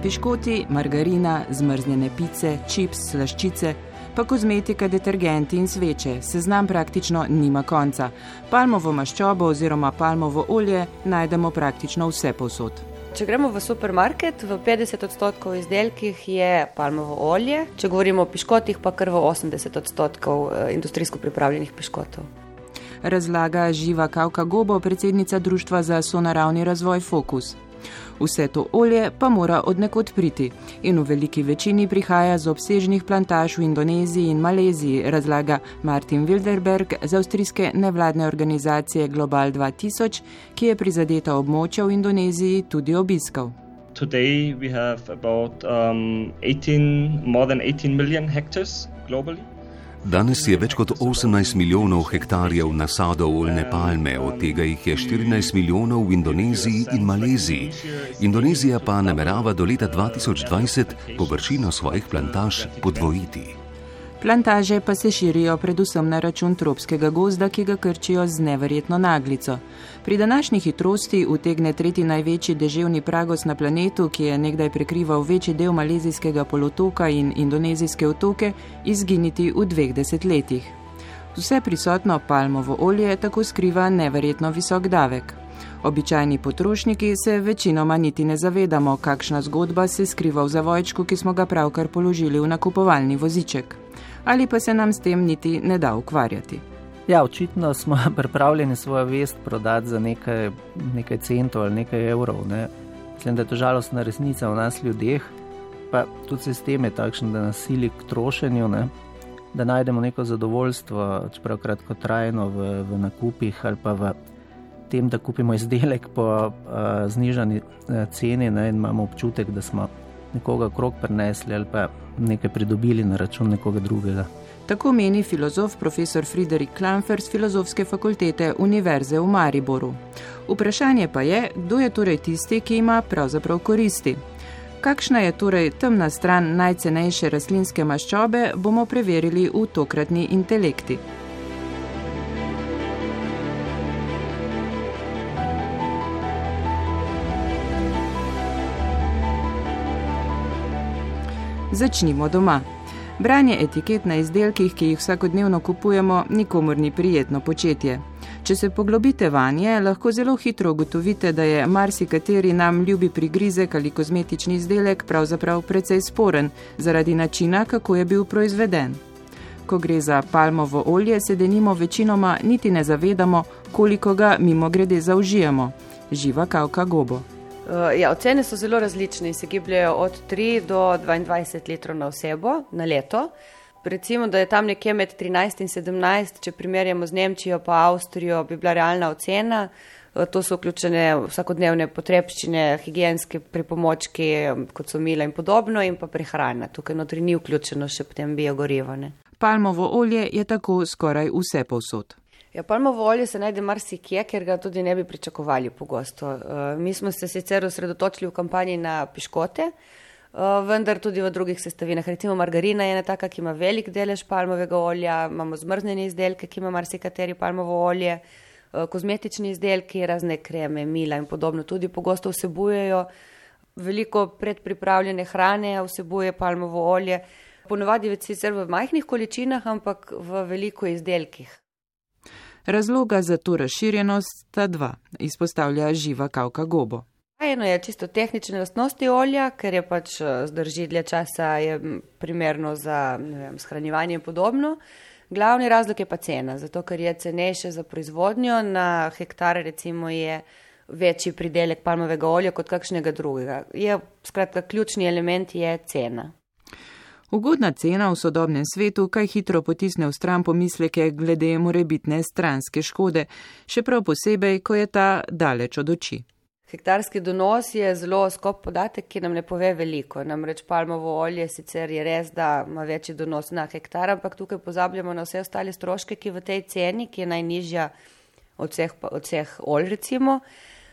Piškoti, margarina, zmrznjene pice, čips, slaščice, pa kozmetika, detergenti in sveče. Seznam praktično nima konca. Palmovo maščobo oziroma palmovo olje najdemo praktično vse povsod. Če gremo v supermarket, v 50% izdelkih je palmovo olje, če govorimo o piškotih, pa kar v 80% industrijsko pripravljenih piškotov. Razlaga Živa Kavka Gobo, predsednica Društva za sonaravni razvoj Fokus. Vse to olje pa mora od nekod priti in v veliki večini prihaja z obsežnih plantaž v Indoneziji in Maleziji, razlaga Martin Wilderberg z avstrijske nevladne organizacije Global 2000, ki je prizadeta območja v Indoneziji tudi obiskal. Today we have about more than 18 million hectares globally. Danes je več kot 18 milijonov hektarjev nasadov oljne palme, od tega jih je 14 milijonov v Indoneziji in Maleziji. Indonezija pa namerava do leta 2020 površino svojih plantaž podvojiti. Plantaže pa se širijo predvsem na račun tropskega gozda, ki ga krčijo z neverjetno naglico. Pri današnji hitrosti utegne tretji največji deževni pragos na planetu, ki je nekdaj prekrival večji del malezijskega polotoka in indonezijske otoke, izginiti v 2 desetletjih. Vse prisotno palmovo olje tako skriva neverjetno visok davek. Običajni potrošniki se večinoma niti ne zavedamo, kakšna zgodba se skriva v zavojčku, ki smo ga pravkar položili v nakupovalni voziček. Ali pa se nam s tem niti ne da ukvarjati. Ja, očitno smo pripravljeni svojo vest prodati za nekaj centov ali nekaj evrov. Ne. Mislim, da je to žalostna resnica v nas ljudeh, pa tudi sistem je takšen, da nas sili k trošenju, ne, da najdemo neko zadovoljstvo, čeprav kratkotrajno v nakupih ali pa v tem, da kupimo izdelek po znižani ceni, ne, in imamo občutek, da smo nekoga okrog prinesli ali pa nekaj pridobili na račun nekoga drugega. Tako meni filozof profesor Friderik Klamfer z Filozofske fakultete Univerze v Mariboru. Vprašanje pa je, kdo je torej tisti, ki ima pravzaprav koristi. Kakšna je torej temna stran najcenejše rastlinske maščobe, bomo preverili v tokratni intelekti. Začnimo doma. Branje etiket na izdelkih, ki jih vsakodnevno kupujemo, nikomur ni prijetno početje. Če se poglobite vanje, lahko zelo hitro ugotovite, da je marsikateri nam ljubi prigrizek ali kozmetični izdelek pravzaprav precej sporen, zaradi načina, kako je bil proizveden. Ko gre za palmovo olje, se denimo večinoma niti ne zavedamo, koliko ga mimogrede zaužijemo. Živa Kavka Gobo. Ja, ocene so zelo različne in se gibljajo od 3 do 22 litrov na osebo na leto. Recimo, da je tam nekje med 13 in 17, če primerjamo z Nemčijo pa Avstrijo, bi bila realna ocena. To so vključene vsakodnevne potrebščine, higienske pripomočki, kot so mila in podobno, in pa prehrana. Tukaj notri ni vključeno še potem biogorivo. Palmovo olje je tako skoraj vse povsod. Ja, palmovo olje se najde marsikje, ker ga tudi ne bi pričakovali pogosto. Mi smo se sicer osredotočili v kampanji na piškote, vendar tudi v drugih sestavinah. Recimo margarina je ena taka, ki ima velik delež palmovega olja, imamo zmrznjene izdelke, ki ima marsikateri palmovo olje, kozmetični izdelki, razne kreme, mila in podobno tudi pogosto vsebujejo. Veliko predpripravljene hrane vsebuje palmovo olje, ponavadi sicer v majhnih količinah, ampak v veliko izdelkih. Razloga za to razširjenost sta 2, izpostavlja Živa Kavka Gobo. Eno je čisto tehnične lastnosti olja, ker je pač zdrži dlje časa, je primerno za shranjevanje in podobno. Glavni razlog je pa cena, zato ker je cenejše za proizvodnjo, na hektar recimo je večji pridelek palmovega olja kot kakšnega drugega. Skratka, ključni element je cena. Ugodna cena v sodobnem svetu kaj hitro potisne v stran pomisleke glede morebitne stranske škode, še prav posebej, ko je ta daleč od oči. Hektarski donos je zelo skop podatek, ki nam ne pove veliko. Namreč palmovo olje sicer je res, da ima večji donos na hektar, ampak tukaj pozabljamo na vse ostale stroške, ki v tej ceni, ki je najnižja od vseh olj recimo,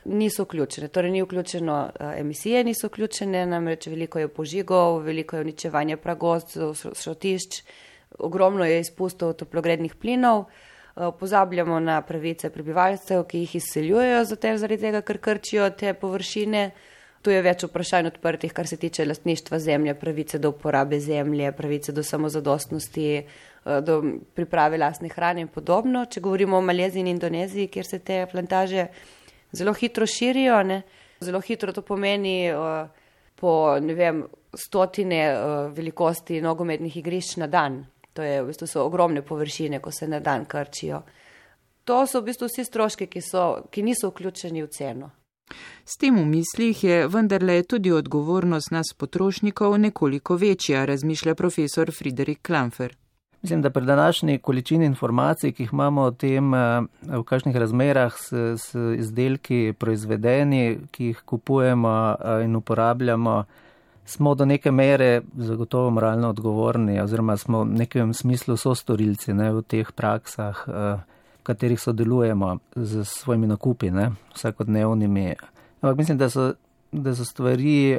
niso vključene. Torej ni vključeno emisije, niso vključene, namreč veliko je požigov, veliko je uničevanja pragozdov, šrotišč, ogromno je izpustov toplogrednih plinov. Pozabljamo na pravice prebivalcev, ki jih izseljujejo zaradi tega, ker krčijo te površine. Tu je več vprašanj odprtih, kar se tiče lastništva zemlje, pravice do uporabe zemlje, pravice do samozadostnosti, do priprave lastne hrane in podobno. Če govorimo o Maleziji in Indoneziji, kjer se te plantaže zelo hitro širijo, zelo hitro to pomeni po stotine velikosti nogometnih igrišč na dan. To je v bistvu so ogromne površine, ko se na dan krčijo. To so v bistvu vsi stroški, ki niso vključeni v ceno. S tem v mislih je vendarle tudi odgovornost nas potrošnikov nekoliko večja, razmišlja profesor Friderik Klamfer. Mislim, da pri današnji količini informacij, ki jih imamo o tem, v kakšnih razmerah s izdelki proizvedeni, ki jih kupujemo in uporabljamo, smo do neke mere zagotovo moralno odgovorni oziroma smo v nekem smislu sostorilci v teh praksah, v katerih sodelujemo z svojimi nakupi, vsakodnevnimi. Ampak mislim, da so stvari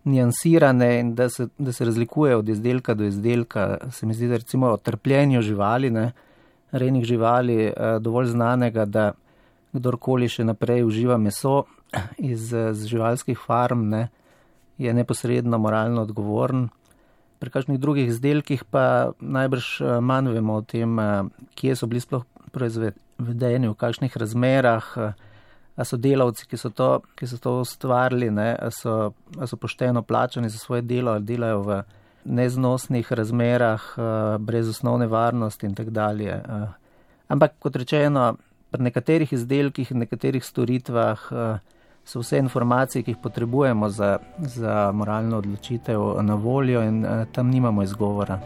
niansirane in da se razlikuje od izdelka do izdelka. Se mi zdi, da recimo o trpljenju živali, rejnih živali, dovolj znanega, da kdorkoli še naprej uživa meso iz živalskih farm, je neposredno moralno odgovoren. Pri kakšnih drugih izdelkih pa najbrž manj vemo o tem, kje so bili sploh proizvedeni, v kakšnih razmerah, a so delavci, ki so to ustvarili, a so pošteno plačani za svoje delo, ali delajo v neznosnih razmerah, brez osnovne varnosti in tako dalje. Ampak kot rečeno, pri nekaterih izdelkih in nekaterih storitvah so vse informacije, ki jih potrebujemo za moralno odločitev na voljo in tam nimamo izgovora.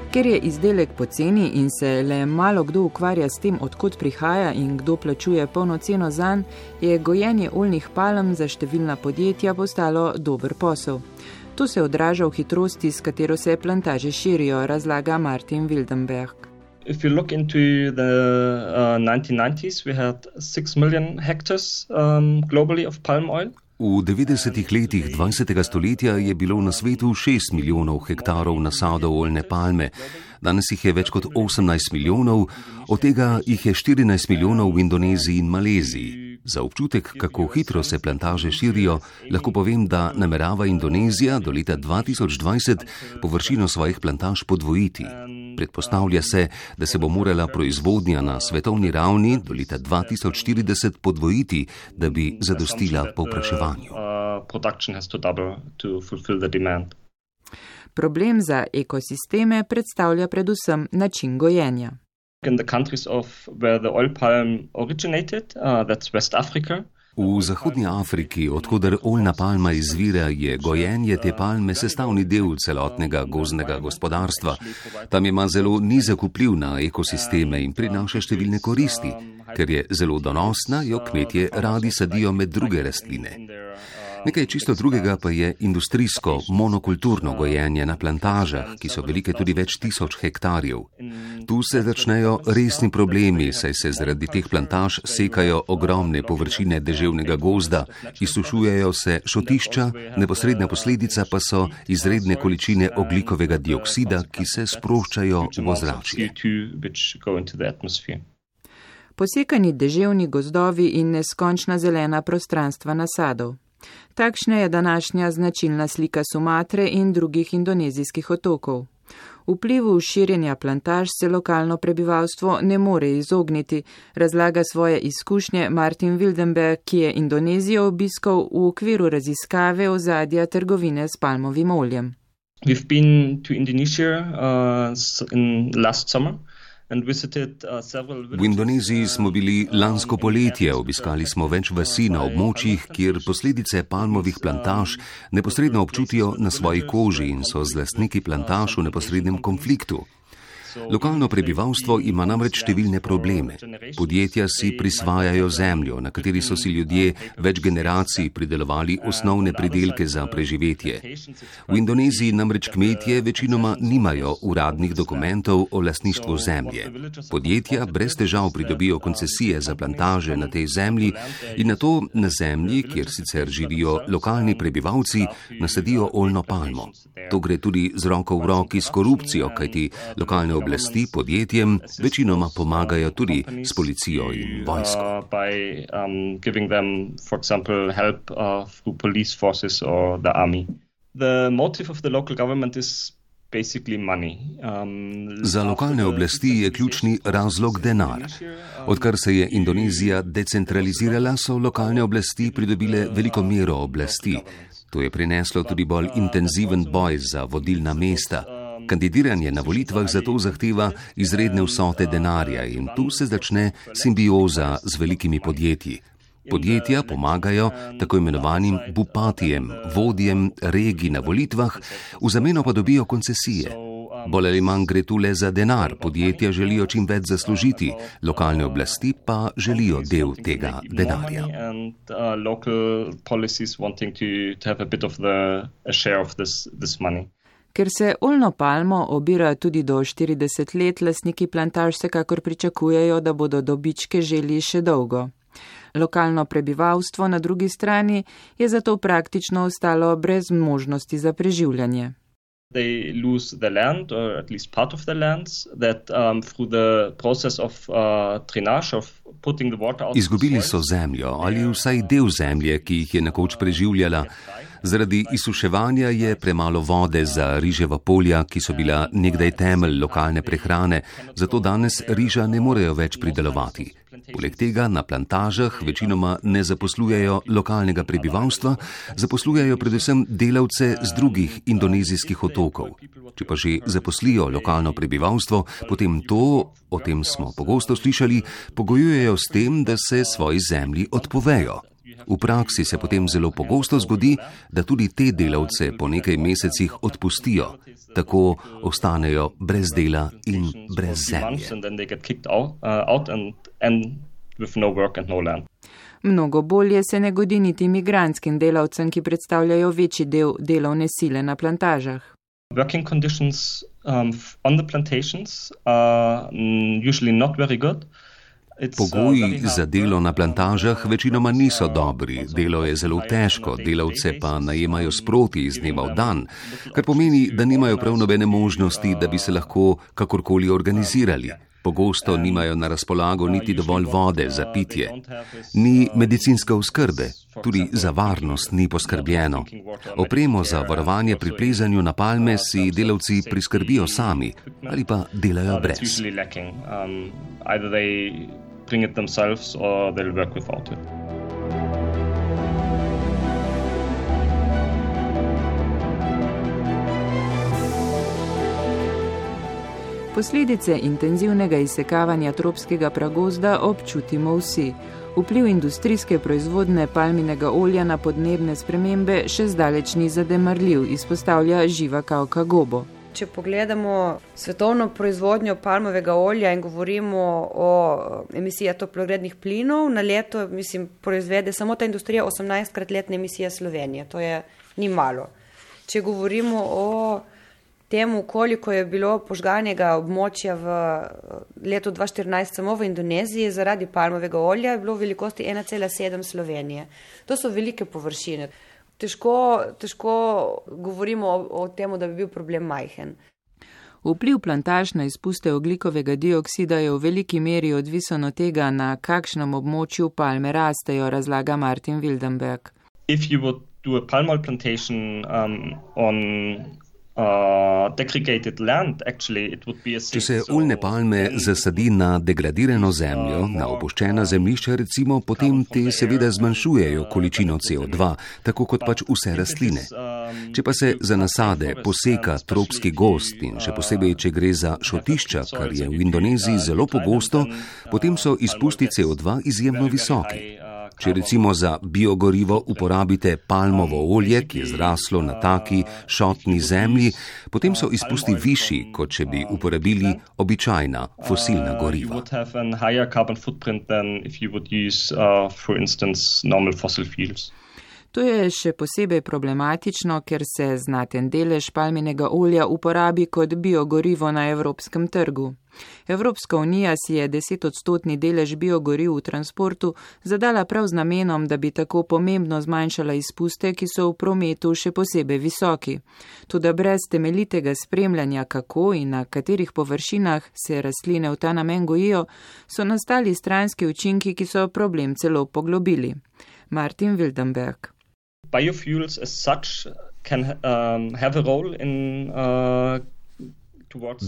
Ker je izdelek poceni in se le malo kdo ukvarja s tem, odkot prihaja in kdo plačuje polno ceno zanj, je gojenje oljnih palm za številna podjetja postalo dober posel. To se odraža v hitrosti, s katero se plantaže širijo, razlaga Martin Wildenberg. If you look into the 1990s, we had 6 million hectares globally of palm oil. V 90-ih letih 20. stoletja je bilo na svetu 6 milijonov hektarov nasadov oljne palme. Danes jih je več kot 18 milijonov, od tega jih je 14 milijonov v Indoneziji in Maleziji. Za občutek, kako hitro se plantaže širijo, lahko povem, da namerava Indonezija do leta 2020 površino svojih plantaž podvojiti. Predpostavlja se, da se bo morala proizvodnja na svetovni ravni do leta 2040 podvojiti, da bi zadostila povpraševanju. Problem za ekosisteme predstavlja predvsem način gojenja. In the countries where the oil palm originated, that's West Africa. V Zahodnji Afriki, odkudar oljna palma izvira, je gojenje te palme sestavni del celotnega gozdnega gospodarstva. Tam ima zelo nizek vpliv na ekosisteme in prinaša številne koristi. Ker je zelo donosna, jo kmetje radi sadijo med druge rastline. Nekaj čisto drugega pa je industrijsko, monokulturno gojenje na plantažah, ki so velike tudi več tisoč hektarjev. Tu se začnejo resni problemi, saj se zaradi teh plantaž sekajo ogromne površine deževnega gozda, izsušujejo se šotišča, neposredna posledica pa so izredne količine ogljikovega dioksida, ki se sproščajo v ozračje. Posekani deževni gozdovi in neskončna zelena prostranstva nasadov. Takšna je današnja značilna slika Sumatre in drugih indonezijskih otokov. Vplivu širjenja plantaž se lokalno prebivalstvo ne more izogniti, razlaga svoje izkušnje Martin Wildenberg, ki je Indonezijo obiskal v okviru raziskave ozadja trgovine s palmovim oljem. We've been to Indonesia in last summer. V Indoneziji smo bili lansko poletje, obiskali smo več vasi na območjih, kjer posledice palmovih plantaž neposredno občutijo na svoji koži in so z lastniki plantaž v neposrednem konfliktu. Lokalno prebivalstvo ima namreč številne probleme. Podjetja si prisvajajo zemljo, na kateri so si ljudje več generacij pridelovali osnovne pridelke za preživetje. V Indoneziji namreč kmetje večinoma nimajo uradnih dokumentov o lastništvu zemlje. Podjetja brez težav pridobijo koncesije za plantaže na tej zemlji in nato na zemlji, kjer sicer živijo lokalni prebivalci, nasadijo oljno palmo. To gre tudi z roko v roki s korupcijo, kajti lokalne oblasti podjetjem večinoma pomagajo tudi s policijo in vojsko. Za lokalne oblasti je ključni razlog denar. Odkar se je Indonezija decentralizirala, so lokalne oblasti pridobile veliko mero oblasti. To je prineslo tudi bolj intenziven boj za vodilna mesta. Kandidiranje na volitvah zato zahteva izredne vsote denarja in tu se začne simbioza z velikimi podjetji. Podjetja pomagajo tako imenovanim bupatijem, vodjem regij na volitvah, v zameno pa dobijo koncesije. Bolj ali manj gre tu le za denar, podjetja želijo čim več zaslužiti, lokalne oblasti pa želijo del tega denarja. Ker se oljno palmo obira tudi do 40 let, lastniki plantaž vsekakor pričakujejo, da bodo dobičke želi še dolgo. Lokalno prebivalstvo na drugi strani je zato praktično ostalo brez možnosti za preživljanje. They lose the land, or at least part of the lands, that through the process of drainage, of putting the water out. Izgubili so zemljo ali vsaj del zemlje, ki jih je nekoč preživljala. Zaradi izsuševanja je premalo vode za riževa polja, ki so bila nekdaj temelj lokalne prehrane, zato danes riža ne morejo več pridelovati. Poleg tega na plantažah večinoma ne zaposlujejo lokalnega prebivalstva, zaposlujejo predvsem delavce z drugih indonezijskih otokov. Če pa že zaposlijo lokalno prebivalstvo, potem to, o tem smo pogosto slišali, pogojujejo s tem, da se svoji zemlji odpovejo. V praksi se potem zelo pogosto zgodi, da tudi te delavce po nekaj mesecih odpustijo. Tako ostanejo brez dela in brez zemlje. Mnogo bolje se ne godi niti migrantskim delavcem, ki predstavljajo večji del delovne sile na plantažah. Working conditions on the plantations are usually not very good. Pogoji za delo na plantažah večinoma niso dobri, delo je zelo težko, delavce pa najemajo sproti iz dneva v dan, kar pomeni, da nimajo prav nobene možnosti, da bi se lahko kakorkoli organizirali. Pogosto nimajo na razpolago niti dovolj vode za pitje. Ni medicinske oskrbe, tudi za varnost ni poskrbljeno. Opremo za varovanje pri plezanju na palme si delavci priskrbijo sami ali pa delajo brez. Bring it themselves or they'll work without it. Posledice intenzivnega izsekavanja tropskega pragozda občutimo vsi. Vpliv industrijske proizvodne palminega olja na podnebne spremembe še zdaleč ni zanemarljiv, izpostavlja Živa Kauka Gobo. Če pogledamo svetovno proizvodnjo palmovega olja in govorimo o emisijah toplogrednih plinov, na leto, proizvede samo ta industrija 18-krat letne emisije Slovenije. To ni malo. Če govorimo o temu, koliko je bilo požganega območja v letu 2014 samo v Indoneziji zaradi palmovega olja, je bilo v velikosti 1,7 Slovenije. To so velike površine. Težko govorimo o tem, da bi bil problem majhen. Vpliv plantaž na izpuste ogljikovega dioksida je v veliki meri odvisen od tega, na kakšnem območju palme rastejo, razlaga Martin Wildenberg. If you would do a palm oil plantation on Če se oljne palme zasadi na degradirano zemljo, na opuščena zemljišča recimo, potem te seveda zmanjšujejo količino CO2, tako kot pač vse rastline. Če pa se za nasade poseka tropski gozd in še posebej, če gre za šotišča, kar je v Indoneziji zelo pogosto, potem so izpusti CO2 izjemno visoki. Če recimo za biogorivo uporabite palmovo olje, ki je zraslo na taki šotni zemlji, potem so izpusti višji, kot če bi uporabili običajna fosilna goriva. To je še posebej problematično, ker se znaten delež palminega olja uporabi kot biogorivo na evropskem trgu. Evropska unija si je 10% delež biogoriv v transportu zadala prav z namenom, da bi tako pomembno zmanjšala izpuste, ki so v prometu še posebej visoki. Toda brez temeljitega spremljanja, kako in na katerih površinah se rastline v ta namen gojijo, so nastali stranski učinki, ki so problem celo poglobili. Martin Wildenberg. Biofuels as such can have a role in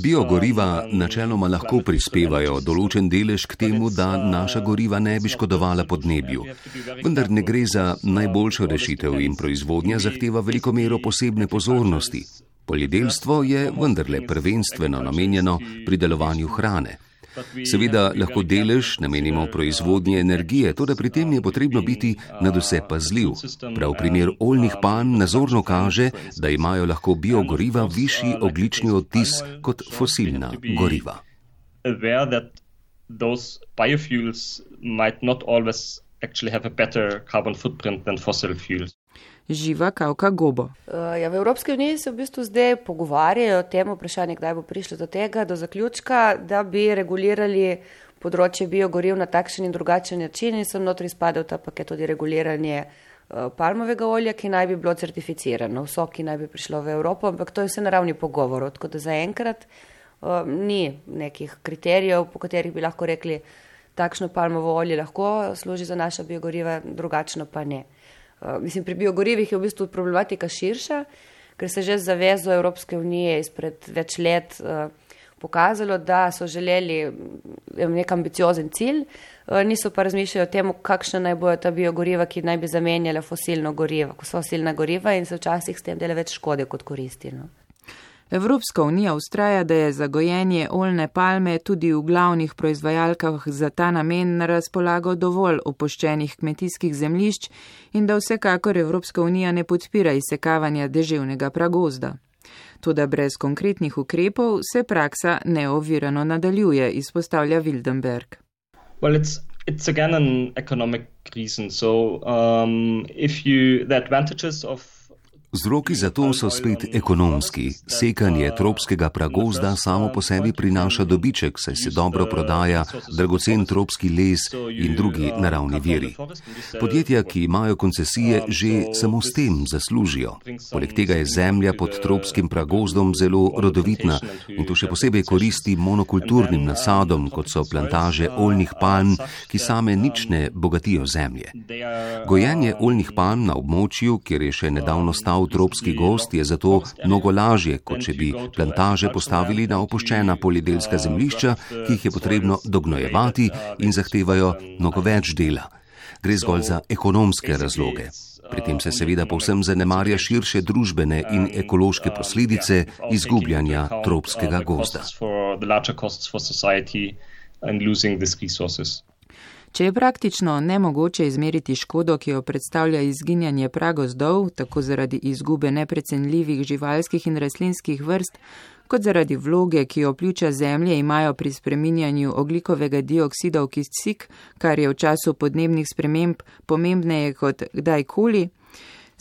Biogoriva načeloma lahko prispevajo določen delež k temu, da naša goriva ne bi škodovala podnebju. Vendar ne gre za najboljšo rešitev in proizvodnja zahteva veliko mero posebne pozornosti. Poljedelstvo je vendarle prvenstveno namenjeno pridelovanju hrane. Seveda lahko delež namenimo proizvodnji energije, toda pri tem je potrebno biti nadvse pazljiv. Prav primer oljnih palm nazorno kaže, da imajo lahko biogoriva višji ogljični odtis kot fosilna goriva. Živa Kavka Gobo. V Evropski uniji se v bistvu zdaj pogovarjajo o tem vprašanju, kdaj bo prišlo do tega, do zaključka, da bi regulirali področje biogoriv na takšen in drugačen način in sem notri spadal ta paket tudi reguliranje palmovega olja, ki naj bi bilo certificirano, vso, ki naj bi prišlo v Evropo, ampak to je vse na ravni pogovorov, tako da zaenkrat ni nekih kriterijev, po katerih bi lahko rekli, takšno palmovo olje lahko služi za naša biogoriva, drugačno pa ne. Pri biogorivih je v bistvu problematika širša, ker se že z zavezo Evropske unije izpred več let pokazalo, da so želeli nek ambiciozen cilj, niso pa razmišljali o tem, kakšna naj bojo ta biogoriva, ki naj bi zamenjala fosilna goriva in se včasih s tem dela več škode kot koristi. No. Evropska unija vztraja, da je za gojenje oljne palme tudi v glavnih proizvajalkah za ta namen na razpolago dovolj opuščenih kmetijskih zemljišč in da vsekakor Evropska unija ne podpira izsekavanja deževnega pragozda. Toda brez konkretnih ukrepov se praksa neovirano nadaljuje, izpostavlja Wildenberg. Well, it's again an economic reason. So, the advantages of Vzroki za to so spet ekonomski. Sekanje tropskega pragozda samo po sebi prinaša dobiček, saj se dobro prodaja dragocen tropski les in drugi naravni viri. Podjetja, ki imajo koncesije, že samo s tem zaslužijo. Poleg tega je zemlja pod tropskim pragozdom zelo rodovitna in to še posebej koristi monokulturnim nasadom, kot so plantaže oljnih palm, ki same nič ne bogatijo zemlje. Gojenje oljnih palm na območju, kjer je še nedavno stal tropski gozd, je zato mnogo lažje, kot če bi plantaže postavili na opuščena poljedelska zemljišča, ki jih je potrebno dognojevati in zahtevajo mnogo več dela. Gre zgolj za ekonomske razloge. Pri tem se seveda povsem zanemarja širše družbene in ekološke posledice izgubljanja tropskega gozda. Če je praktično nemogoče izmeriti škodo, ki jo predstavlja izginjanje pragozdov, tako zaradi izgube neprecenljivih živalskih in rastlinskih vrst, kot zaradi vloge, ki jo pljuča zemlje imajo pri spreminjanju ogljikovega dioksida v kisik, kar je v času podnebnih sprememb pomembneje kot kdajkoli,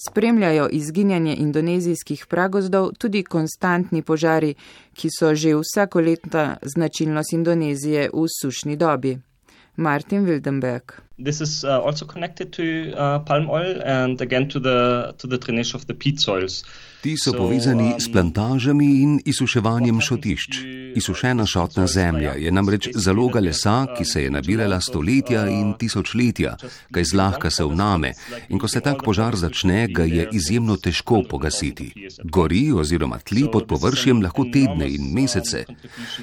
spremljajo izginjanje indonezijskih pragozdov tudi konstantni požari, ki so že vsakoletna značilnost Indonezije v sušni dobi. Martin Wildenberg. This is also connected to palm oil and again to the drainage of the peat soils. Ti so povezani s plantažami in izsuševanjem šotišč. Izsušena šotna zemlja je namreč zaloga lesa, ki se je nabirala stoletja in tisočletja, kaj zlahka se vname, in ko se tak požar začne, ga je izjemno težko pogasiti. Gori oziroma tli pod površjem lahko tedne in mesece.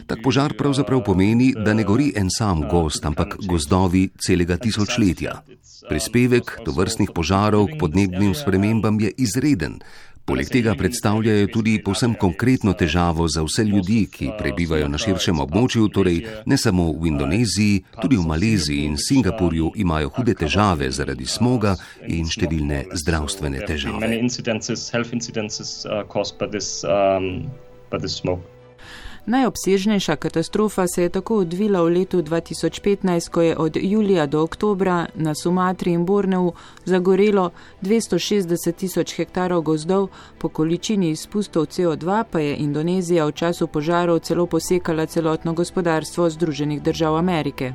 Tak požar pravzaprav pomeni, da ne gori en sam gozd, ampak gozdovi celega tisočletja. Prispevek tovrstnih požarov k podnebnim spremembam je izreden. Poleg tega predstavljajo tudi povsem konkretno težavo za vse ljudi, ki prebivajo na širšem območju, torej ne samo v Indoneziji, tudi v Maleziji in Singapurju imajo hude težave zaradi smoga in številne zdravstvene težave. Najobsežnejša katastrofa se je tako odvila v letu 2015, ko je od julija do oktobra na Sumatri in Borneu zagorelo 260.000 hektarov gozdov, po količini izpustov CO2 pa je Indonezija v času požarov celo posekala celotno gospodarstvo Združenih držav Amerike.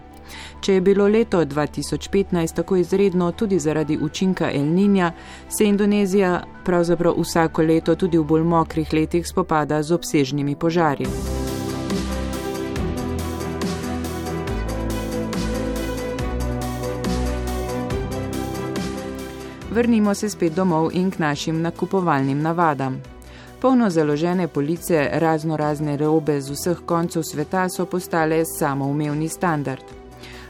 Če je bilo leto 2015 tako izredno tudi zaradi učinka El Niña, se Indonezija pravzaprav vsako leto tudi v bolj mokrih letih spopada z obsežnimi požarji. Vrnimo se spet domov in k našim nakupovalnim navadam. Polno založene police raznorazne robe z vseh koncev sveta so postale samoumevni standard.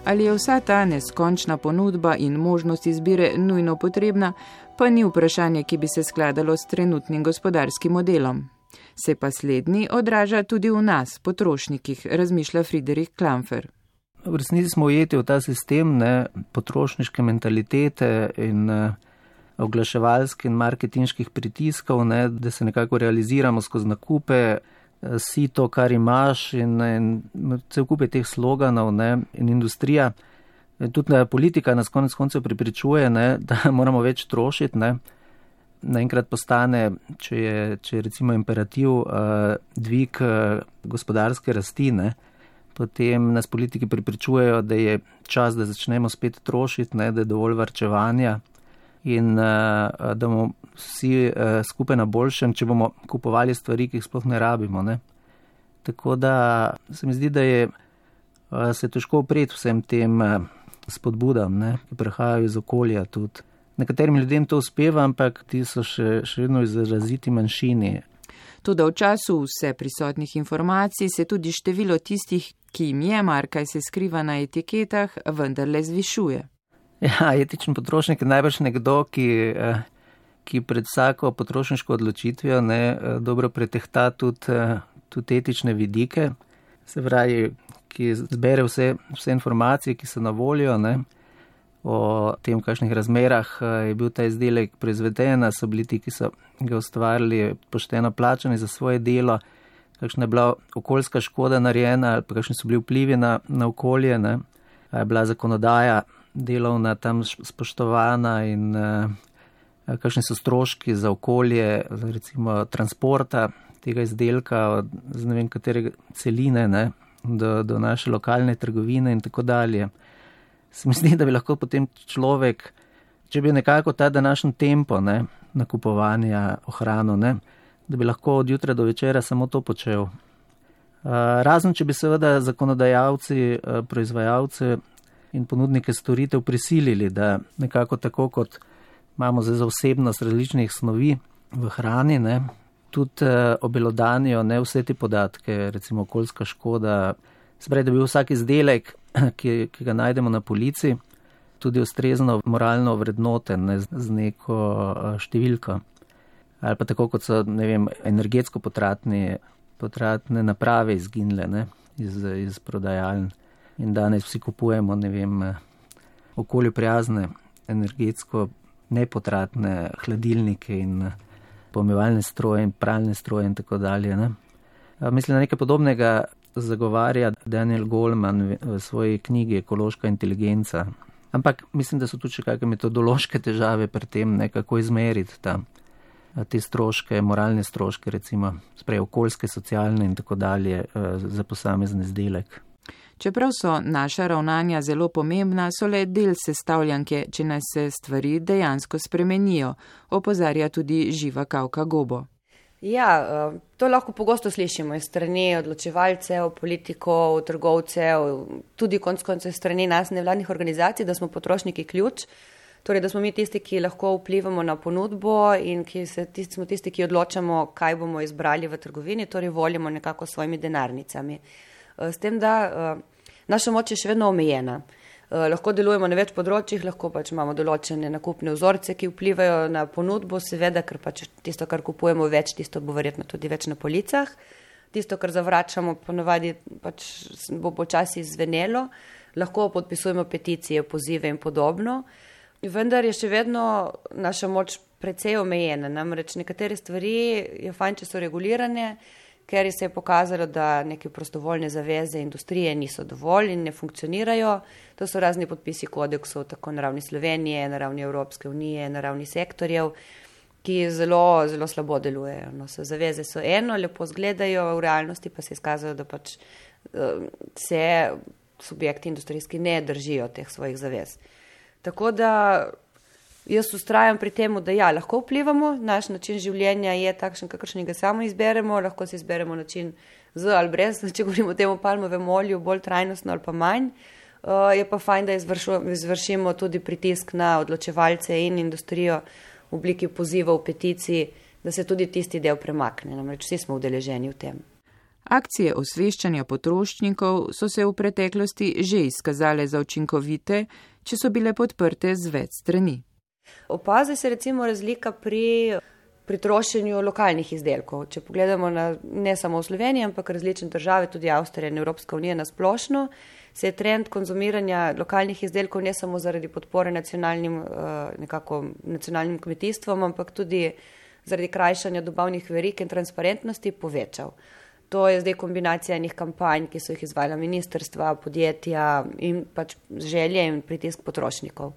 Ali je vsa ta neskončna ponudba in možnost izbire nujno potrebna, pa ni vprašanje, ki bi se skladalo s trenutnim gospodarskim modelom. Se pa slednji odraža tudi v nas, potrošnikih, razmišlja Friedrich Klamfer. V resnici smo ujeti v ta sistem potrošniške mentalitete in oglaševalskih in marketinških pritiskov, da se nekako realiziramo skozi nakupe, si to, kar imaš in cel kup je teh sloganov in industrija. Tudi politika nas konec koncev prepričuje, da moramo več trošiti. Naenkrat postane, če je recimo imperativ dvig gospodarske rasti, potem nas politiki prepričujejo, da je čas, da začnemo spet trošiti, da je dovolj varčevanja in da bomo vsi skupaj na boljšem, če bomo kupovali stvari, ki jih sploh ne rabimo. Tako da se mi zdi, da se težko upreti vsem tem spodbudam, ki prihajajo iz okolja tudi. Nekaterim ljudem to uspeva, ampak ti so še vedno izraziti manjšini. Toda v času vse prisotnih informacij se tudi število tistih, ki jim je mar, kaj se skriva na etiketah, vendarle zvišuje. Ja, etičen potrošnik je najbrž nekdo, ki pred vsako potrošniško odločitvijo dobro pretehta tudi etične vidike, se pravi, ki zbere vse informacije, ki so na voljo, o tem, v kakšnih razmerah je bil ta izdelek proizveden, so bili ti, ki so ga ustvarili, pošteno plačani za svoje delo, kakšna je bila okoljska škoda narejena, ali pa kakšni so bili vplivi na okolje, je bila zakonodaja delovna tam spoštovana in kakšni so stroški za okolje, recimo transporta tega izdelka z ne vem katere celine do naše lokalne trgovine in tako dalje. Se mi zdi, da bi lahko potem človek, če bi nekako ta današnji tempo nakupovanja ohranil, da bi lahko od jutra do večera samo to počel. Razen, če bi seveda zakonodajalci, proizvajalce in ponudnike storitev prisilili, da nekako tako, kot imamo za vsebnost različnih snovi v hrani, tudi obelodanijo vse te podatke, recimo okoljska škoda, se pravi, da bi vsak izdelek, ki ga najdemo na polici, tudi ustrezno moralno vrednoten z neko številko. Ali pa tako, kot so, energetsko potratne naprave izginile iz prodajaln. In danes vsi kupujemo, okolju prijazne, energetsko nepotratne hladilnike in pomivalne stroje in pralne stroje in tako dalje. Mislim, da nekaj podobnega zagovarja Daniel Goleman v svoji knjigi Ekološka inteligenca. Ampak mislim, da so tudi še kakšne metodološke težave pri tem, kako izmeriti te stroške, moralne stroške, recimo, okoljske, socialne in tako dalje za posamezen izdelek. Čeprav so naša ravnanja zelo pomembna, so le del sestavljanke, če nas se stvari dejansko spremenijo, opozarja tudi Živa Kavka Gobo. Ja, to lahko pogosto slišimo iz strani odločevalcev, politikov, trgovcev, tudi konec koncev strani nas nevladnih organizacij, da smo potrošniki ključ, torej da smo mi tisti, ki lahko vplivamo na ponudbo in smo tisti, ki odločamo, kaj bomo izbrali v trgovini, torej volimo nekako svojimi denarnicami. S tem, da naša moč je še vedno omejena. Lahko delujemo na več področjih, lahko pač imamo določene nakupne vzorce, ki vplivajo na ponudbo, seveda, ker pač tisto, kar kupujemo več, tisto bo verjetno tudi več na policah. Tisto, kar zavračamo, ponavadi pač bo počasi zvenelo. Lahko podpisujemo peticije, pozive in podobno. Vendar je še vedno naša moč precej omejena. Namreč nekatere stvari je fajn, če so regulirane, ker se je pokazalo, da neke prostovoljne zaveze industrije niso dovolj in ne funkcionirajo. To so razni podpisi kodeksov, tako na ravni Slovenije, na ravni Evropske unije, na ravni sektorjev, ki zelo, zelo slabo delujejo. No, zaveze so eno, lepo zgledajo, v realnosti pa se je izkazalo, da pač se subjekti industrijski ne držijo teh svojih zavez. Tako da jaz ustrajam pri temu, da ja, lahko vplivamo, naš način življenja je takšen, kakršnega samo izberemo, lahko si izberemo način z ali brez, če govorimo o tem palmovem olju, bolj trajnostno ali pa manj. Je pa fajn, da izvršimo tudi pritisk na odločevalce in industrijo v obliki pozivov, peticij, da se tudi tisti del premakne, namreč vsi smo udeleženi v tem. Akcije osveščanja potrošnikov so se v preteklosti že izkazale za učinkovite, če so bile podprte z več strani. Opazi se recimo razlika pri trošenju lokalnih izdelkov. Če pogledamo ne samo v Sloveniji, ampak različne države, tudi Avstrija in Evropska unija na splošno, se je trend konzumiranja lokalnih izdelkov ne samo zaradi podpore nacionalnim kmetijstvom, ampak tudi zaradi krajšanja dobavnih verig in transparentnosti povečal. To je zdaj kombinacija enih kampanj, ki so jih izvajala ministrstva, podjetja in pač želje in pritisk potrošnikov.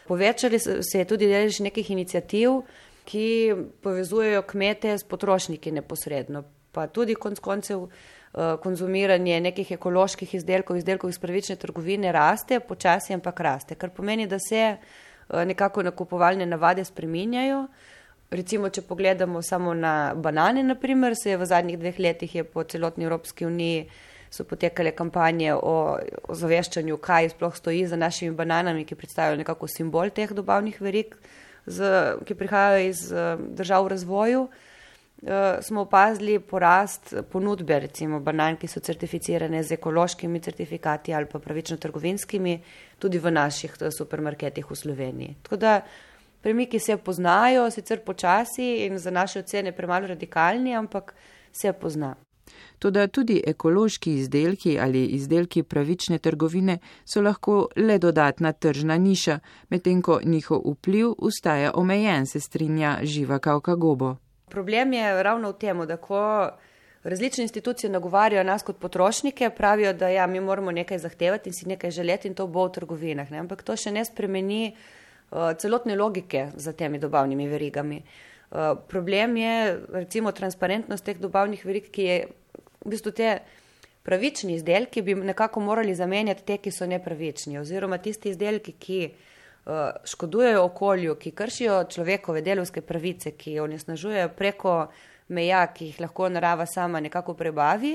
Povečali se je tudi delež nekih iniciativ, ki povezujejo kmete s potrošniki neposredno, pa tudi konec koncev konzumiranje nekih ekoloških izdelkov iz pravične trgovine raste, počasi ampak raste, kar pomeni, da se nekako nakupovalne navade spreminjajo. Recimo, če pogledamo samo na banane, naprimer, se je v zadnjih 2 letih je po celotni Evropski uniji so potekale kampanje o ozaveščanju, kaj sploh stoji za našimi bananami, ki predstavljajo nekako simbol teh dobavnih verig, ki prihajajo iz držav v razvoju. Smo opazili porast ponudbe, recimo banan, ki so certificirane z ekološkimi certifikati ali pa pravično trgovinskimi, tudi v naših supermarketih v Sloveniji. Tako da premiki se poznajo, sicer počasi in za naše ocene premalo radikalni, ampak se pozna. Toda tudi ekološki izdelki ali izdelki pravične trgovine so lahko le dodatna tržna niša, medtem ko njihov vpliv ostaja omejen, se strinja Živa Kavka Gobo. Problem je ravno v tem, da ko različne institucije nagovarjajo nas kot potrošnike, pravijo, da ja, mi moramo nekaj zahtevati in si nekaj želeti in to bo v trgovinah, ne? Ampak to še ne spremeni celotne logike za temi dobavnimi verigami. Problem je recimo transparentnost teh dobavnih verig, ki je v bistvu te pravični izdelki bi nekako morali zamenjati te, ki so nepravični, oziroma tisti izdelki, ki škodujejo okolju, ki kršijo človekove delovske pravice, ki onesnažujejo preko meja, ki jih lahko narava sama nekako prebavi,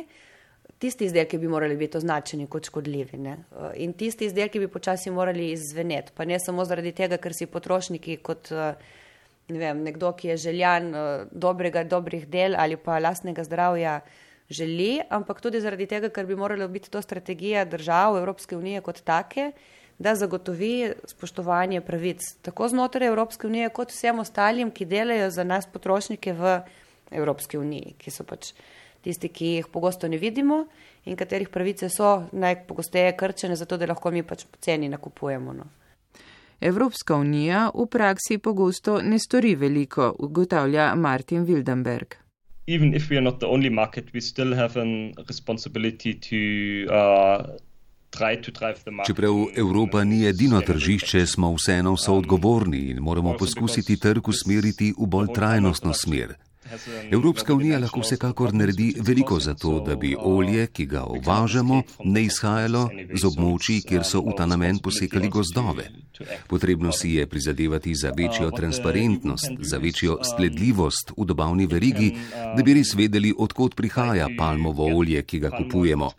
tisti izdelki bi morali biti označeni kot škodljivi, ne? In tisti izdelki bi počasi morali izzveneti, pa ne samo zaradi tega, ker si potrošniki kot nekdo, ki je željan dobrih del ali pa lastnega zdravja želi, ampak tudi zaradi tega, ker bi morala biti to strategija držav Evropske unije kot take, da zagotovi spoštovanje pravic tako znotraj Evropske unije kot vsem ostalim, ki delajo za nas potrošnike v Evropski uniji, ki so pač tisti, ki jih pogosto ne vidimo in katerih pravice so najpogosteje krčene, zato da lahko mi pač poceni nakupujemo. No. Evropska unija v praksi pogosto ne stori veliko, ugotavlja Martin Wildenberg. Even if we are not the only market, we still have a responsibility to Čeprav Evropa ni edino tržišče, smo vseeno soodgovorni in moramo poskusiti trg usmeriti v bolj trajnostno smer. Evropska unija lahko vsekakor naredi veliko za to, da bi olje, ki ga uvažamo, ne izhajalo z območij, kjer so v ta namen posekali gozdove. Potrebno si je prizadevati za večjo transparentnost, za večjo sledljivost v dobavni verigi, da bi res vedeli, odkot prihaja palmovo olje, ki ga kupujemo.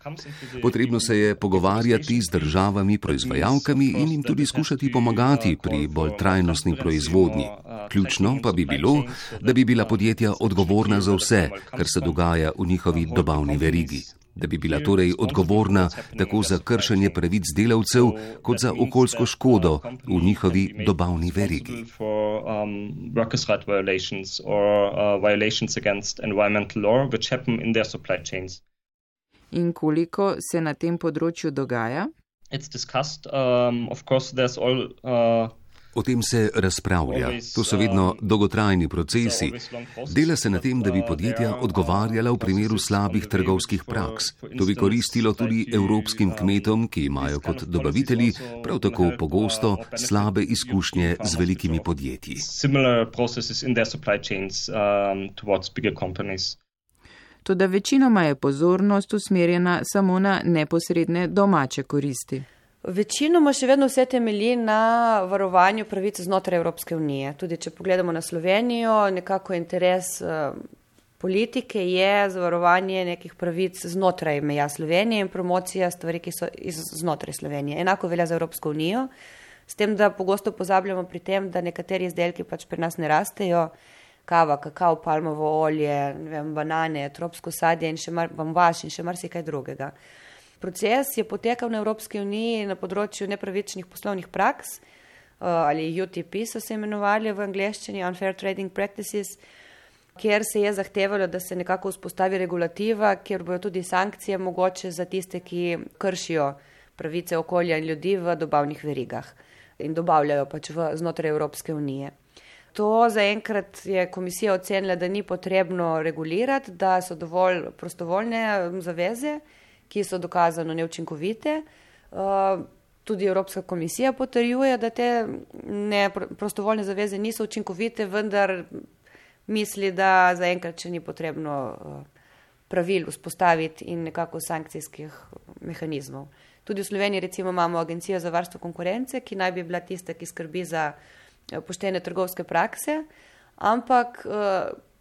Potrebno se je pogovarjati z državami proizvajalkami in jim tudi skušati pomagati pri bolj trajnostni proizvodnji. Ključno pa bi bilo, da bi bila podjetja odgovorna za vse, kar se dogaja v njihovi dobavni verigi. Da bi bila torej odgovorna tako za kršenje pravic delavcev, kot za okoljsko škodo v njihovi dobavni verigi. In koliko se na tem področju dogaja? O tem se razpravlja. To so vedno dolgotrajni procesi. Dela se na tem, da bi podjetja odgovarjala v primeru slabih trgovskih praks. To bi koristilo tudi evropskim kmetom, ki imajo kot dobavitelji prav tako pogosto slabe izkušnje z velikimi podjetji. Toda večinoma je pozornost usmerjena samo na neposredne domače koristi. Večinoma še vedno vse temelji na varovanju pravic znotraj Evropske unije. Tudi če pogledamo na Slovenijo, nekako interes politike je zavarovanje nekih pravic znotraj meja Slovenije in promocija stvari, ki so znotraj Slovenije. Enako velja za Evropsko unijo, s tem, da pogosto pozabljamo pri tem, da nekateri izdelki pač pri nas ne rastejo, kava, kakao, palmovo olje, banane, tropsko sadje in bambaš in še marsikaj drugega. Proces je potekal na Evropski uniji na področju nepravičnih poslovnih praks, ali UTP so se imenovali v angleščini, Unfair Trading Practices, kjer se je zahtevalo, da se nekako vzpostavi regulativa, kjer bojo tudi sankcije mogoče za tiste, ki kršijo pravice okolja in ljudi v dobavnih verigah in dobavljajo pač znotraj Evropske unije. To zaenkrat je komisija ocenila, da ni potrebno regulirati, da so dovolj prostovoljne zaveze, ki so dokazano neučinkovite. Tudi Evropska komisija potrjuje, da te prostovoljne zaveze niso učinkovite, vendar misli, da zaenkrat še ni potrebno pravil vzpostaviti in nekako sankcijskih mehanizmov. Tudi v Sloveniji recimo imamo Agencijo za varstvo konkurence, ki naj bi bila tista, ki skrbi za poštene trgovske prakse, ampak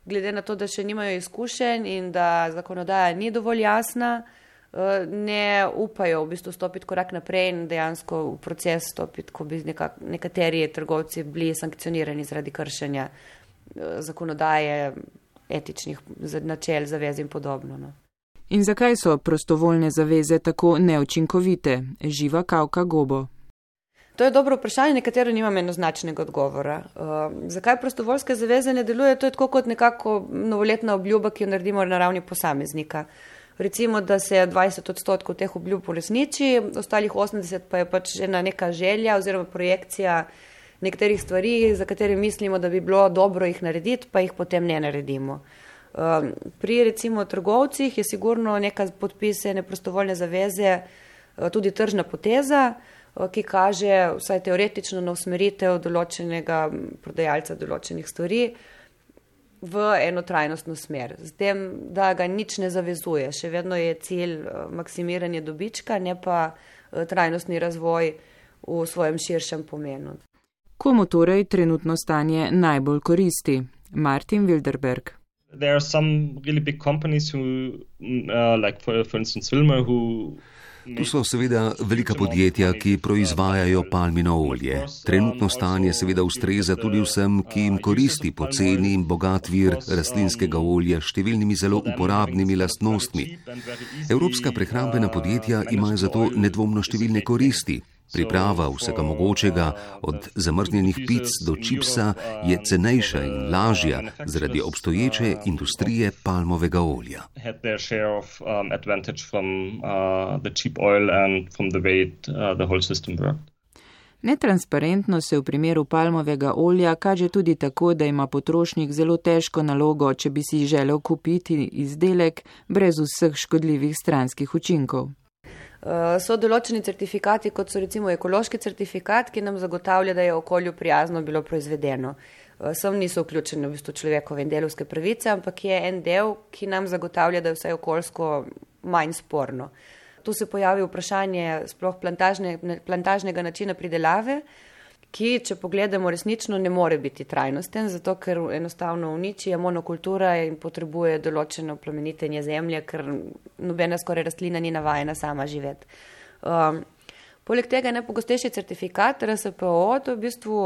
glede na to, da še nimajo izkušenj in da zakonodaja ni dovolj jasna, ne upajo v bistvu stopiti korak naprej in dejansko v proces stopiti, ko bi nekateri trgovci bili sankcionirani zaradi kršenja zakonodaje, etičnih načel, zavez in podobno. No. In zakaj so prostovoljne zaveze tako neučinkovite? Živa Kavka Gobo. To je dobro vprašanje, nekatero nimam enoznačnega odgovora. Zakaj prostovoljske zaveze ne delujejo? To je tako kot nekako novoletna obljuba, ki jo naredimo na ravni posameznika. Recimo, da se 20% teh obljub uresniči, ostalih 80% pa je pač ena neka želja oziroma projekcija nekaterih stvari, za katere mislimo, da bi bilo dobro jih narediti, pa jih potem ne naredimo. Pri recimo trgovcih je sigurno neka podpise, neprostovoljne zaveze, tudi tržna poteza, ki kaže vsaj teoretično na usmeritev določenega prodajalca določenih stvari v eno trajnostno smer. S tem, da ga nič ne zavezuje. Še vedno je cilj maksimiranje dobička, ne pa trajnostni razvoj v svojem širšem pomenu. Komu torej trenutno stanje najbolj koristi? Martin Wilderberg. There are some really big companies who, like for instance Wilmer, who Tu so seveda velika podjetja, ki proizvajajo palmino olje. Trenutno stanje seveda ustreza tudi vsem, ki jim koristi poceni in bogat vir rastlinskega olja s številnimi zelo uporabnimi lastnostmi. Evropska prehrambena podjetja imajo zato nedvomno številne koristi. Priprava vsega mogočega, od zamrznjenih pic do čipsa, je cenejša in lažja zaradi obstoječe industrije palmovega olja. Netransparentno se v primeru palmovega olja kaže tudi tako, da ima potrošnik zelo težko nalogo, če bi si želel kupiti izdelek brez vseh škodljivih stranskih učinkov. So določeni certifikati, kot so recimo ekološki certifikat, ki nam zagotavlja, da je okolju prijazno bilo proizvedeno. sem niso vključene v bistvu človekove in delovske pravice, ampak je en del, ki nam zagotavlja, da je vse okoljsko manj sporno. Tu se pojavi vprašanje sploh plantažnega načina pridelave, ki, če pogledamo, resnično ne more biti trajnosten, zato ker enostavno uniči, je monokultura in potrebuje določeno plemenitenje zemlje, ker nobena skoraj rastlina ni navajena sama živeti. Poleg tega je najpogostejši certifikat RSPO, to je v bistvu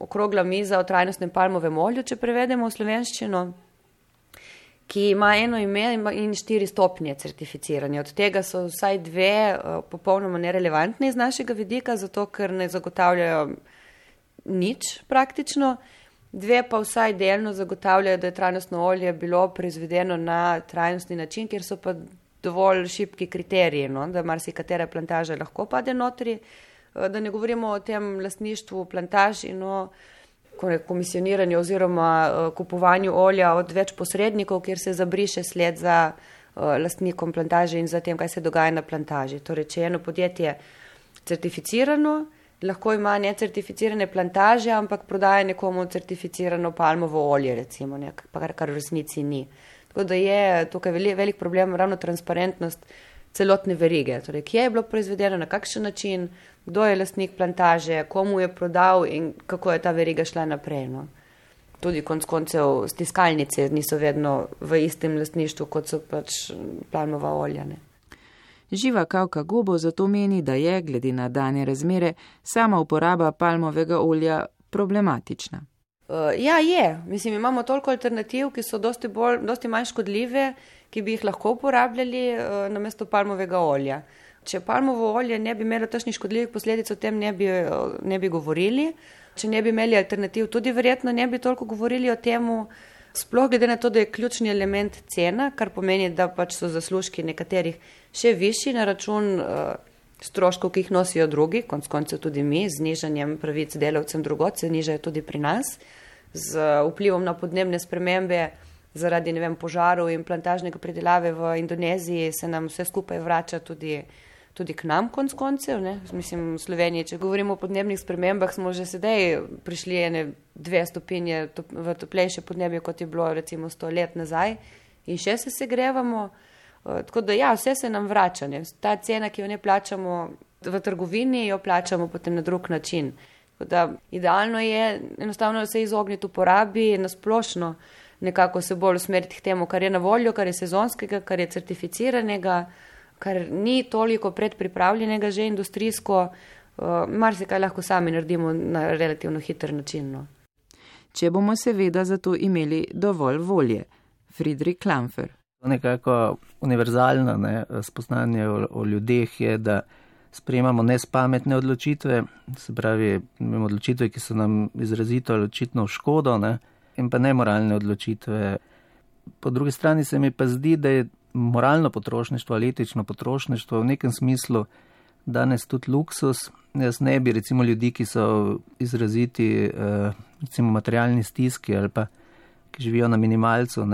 okrogla miza o trajnostnem palmovem olju, če prevedemo v slovenščino, ki ima eno ime in 4 stopnje certificiranja. Od tega so vsaj 2 popolnoma nerelevantne iz našega vidika, zato ker ne zagotavljajo nič praktično. 2 pa vsaj delno zagotavljajo, da je trajnostno olje bilo proizvedeno na trajnostni način, kjer so pa dovolj šibki kriteriji, no, da marsikatera plantaža lahko pade notri. Da ne govorimo o tem lastništvu plantaž in o komisioniranju oziroma kupovanju olja od več posrednikov, kjer se zabriše sled za lastnikom plantaže in za tem, kaj se dogaja na plantaži. Torej, če je eno podjetje certificirano, lahko ima necertificirane plantaže, ampak prodaja nekomu certificirano palmovo olje, recimo, kar v resnici ni. Tako da je tukaj velik problem ravno transparentnost celotne verige. Torej, kje je bilo proizvedeno, na kakšen način, kdo je lastnik plantaže, komu je prodal in kako je ta veriga šla naprej. No. Tudi konec koncev stiskalnice niso vedno v istem lastništvu, kot so pač palmova olja. Ne. Živa Kavka Gobo zato meni, da je, glede na dane razmere, sama uporaba palmovega olja problematična. Ja, je. Mislim, imamo toliko alternativ, ki so dosti manj škodljive, ki bi jih lahko uporabljali namesto palmovega olja. Če palmovo olje ne bi imelo takšnih škodljivih posledic, o tem ne bi govorili. Če ne bi imeli alternativ, tudi verjetno ne bi toliko govorili o temu, sploh glede na to, da je ključni element cena, kar pomeni, da pač so zaslužki nekaterih še višji na račun stroškov, ki jih nosijo drugi, konec koncev tudi mi, z znižanjem pravic delavcem drugod, se nižajo tudi pri nas, z vplivom na podnebne spremembe zaradi, požarov in plantažnega pridelave v Indoneziji se nam vse skupaj vrača tudi k nam konec koncev. Ne? Mislim, v Sloveniji, če govorimo o podnebnih spremembah, smo že sedaj prišli 2 stopinje v toplejše podnebje, kot je bilo recimo 100 let nazaj in še se segrevamo. Tako da ja, vse se nam vrača. Ne? Ta cena, ki jo ne plačamo v trgovini, jo plačamo potem na drug način. Tako da idealno je enostavno se izogniti uporabi nasplošno, nekako se bolj usmeriti k temu, kar je na voljo, kar je sezonskega, kar je certificiranega, kar ni toliko predpripravljenega že industrijsko, marsikaj lahko sami naredimo na relativno hiter način. No. Če bomo seveda zato imeli dovolj volje. Friedrich Klamfer. Nekako univerzalno spoznanje o ljudeh je, da sprejemamo nespametne odločitve, se pravi odločitve, ki so nam izrazito ali očitno v škodo, in pa nemoralne odločitve. Po drugi strani se mi pa zdi, da je moralno potrošništvo ali etično potrošništvo v nekem smislu danes tudi luksus. Jaz ne bi recimo ljudi, ki so izraziti recimo materialni stiski ali pa ki živijo na minimalcu,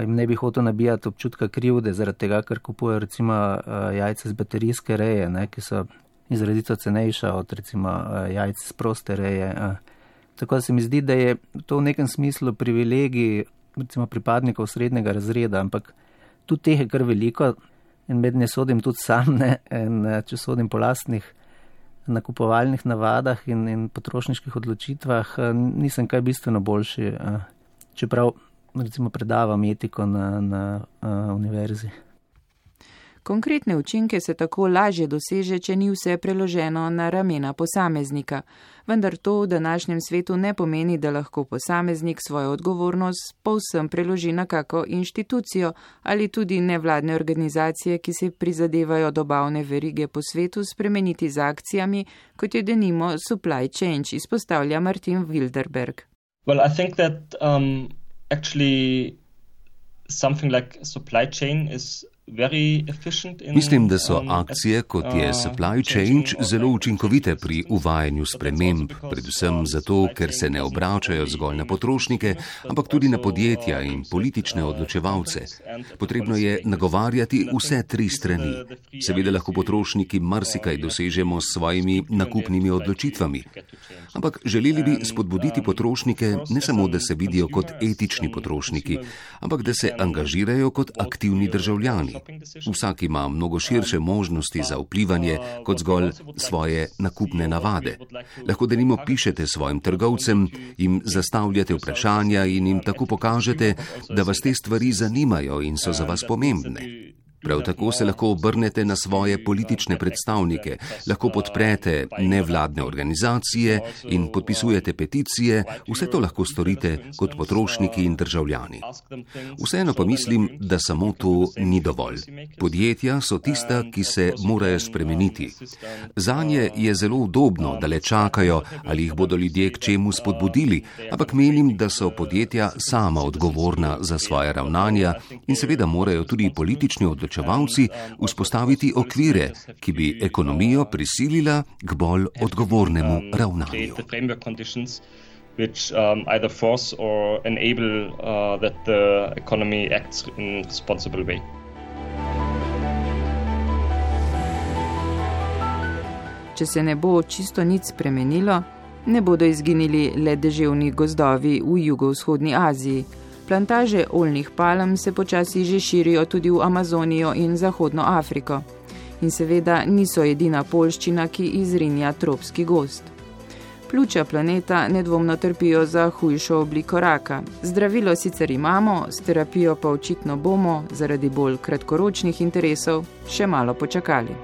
jim ne bi hotel nabijati občutka krivde zaradi tega, ker kupujejo recimo jajce z baterijske reje, ki so izrazito cenejša od recimo jajce z proste reje. Tako da se mi zdi, da je to v nekem smislu privilegij recimo pripadnikov srednjega razreda, ampak tudi teh je kar veliko in med ne sodim tudi sam, in če sodim po lastnih nakupovalnih navadah in potrošniških odločitvah, nisem kaj bistveno boljši, čeprav recimo predavam etiko na univerzi. Konkretne učinke se tako lažje doseže, če ni vse preloženo na ramena posameznika. Vendar to v današnjem svetu ne pomeni, da lahko posameznik svojo odgovornost povsem preloži na kako inštitucijo ali tudi nevladne organizacije, ki se prizadevajo dobavne verige po svetu spremeniti z akcijami, kot je denimo Supply Change, izpostavlja Martin Wilderberg. Well, I think that actually something like supply chain is Mislim, da so akcije, kot je Supply Change, zelo učinkovite pri uvajanju sprememb, predvsem zato, ker se ne obračajo zgolj na potrošnike, ampak tudi na podjetja in politične odločevalce. Potrebno je nagovarjati vse tri strani. Seveda lahko potrošniki marsikaj dosežemo s svojimi nakupnimi odločitvami. Ampak želeli bi spodbuditi potrošnike ne samo, da se vidijo kot etični potrošniki, ampak da se angažirajo kot aktivni državljani. Vsak ima mnogo širše možnosti za vplivanje kot zgolj svoje nakupne navade. Lahko denimo pišete svojim trgovcem, jim zastavljate vprašanja in jim tako pokažete, da vas te stvari zanimajo in so za vas pomembne. Prav tako se lahko obrnete na svoje politične predstavnike, lahko podprete nevladne organizacije in podpisujete peticije, vse to lahko storite kot potrošniki in državljani. Vseeno pa mislim, da samo to ni dovolj. Podjetja so tista, ki se morajo spremeniti. Zanje je zelo udobno, da le čakajo, ali jih bodo ljudje k čemu spodbudili, ampak menim, da so podjetja sama odgovorna za svoje ravnanja in seveda morajo tudi politični odločevalci vzpostaviti okvire, ki bi ekonomijo prisilila k bolj odgovornemu ravnanju. Which either force or enable that the economy acts in a responsible way. Če se ne bo čisto nič spremenilo, ne bodo izginili le deževni gozdovi v jugovzhodni Aziji. Plantaže oljnih palm se počasi že širijo tudi v Amazonijo in Zahodno Afriko. In seveda niso edina poljščina, ki izrinja tropski gozd. Pljuča planeta nedvomno trpijo za hujšo obliko raka. Zdravilo sicer imamo, s terapijo pa očitno bomo, zaradi bolj kratkoročnih interesov, še malo počakali.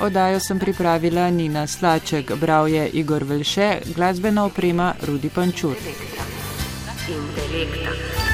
Oddajo sem pripravila Nina Slaček, bral je Igor Velše, glasbena oprema Rudi Pančur. Intelekta.